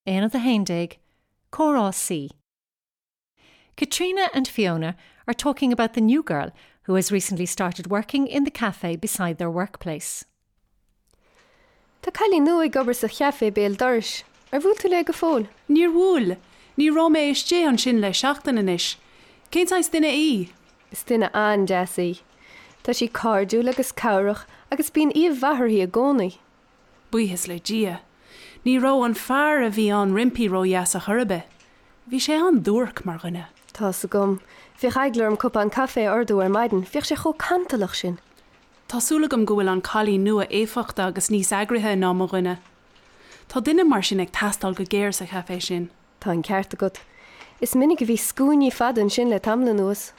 Aonad 11, Comhrá C. Katrina and Fiona are talking about the new girl who has recently started working in the cafe beside their workplace. Tá cailín nua ag obair sa chaifé béal dorais. Ar bhuail tú léi go fóill? Níor bhuail. Ní raibh mé istigh ansin le seachtain anois. Cén saghas duine í? Is duine an-deas í. Tá sí cairdiúil agus cabhrach agus bíonn aoibh mhaith uirthi i gcónaí. Buíochas le Dia. Ní raibh an fear a bhí ann roimpi ródheas ar chor ar bith. Bhí sé an-duairc mar dhuine. Tá's agam. Bhíodh eagla orm cupán caife a ordú ar maidin, bhíodh sé chomh cantalach sin. Tá súil agam go bhfuil an cailín nua éifeachtach agus níos eagraithe ná mo dhuine. Tá duine mar sin ag teastáil go géar sa chaifé sin. Tá an ceart agat. Is minic a bhí scuainí fada ansin le tamall anuas.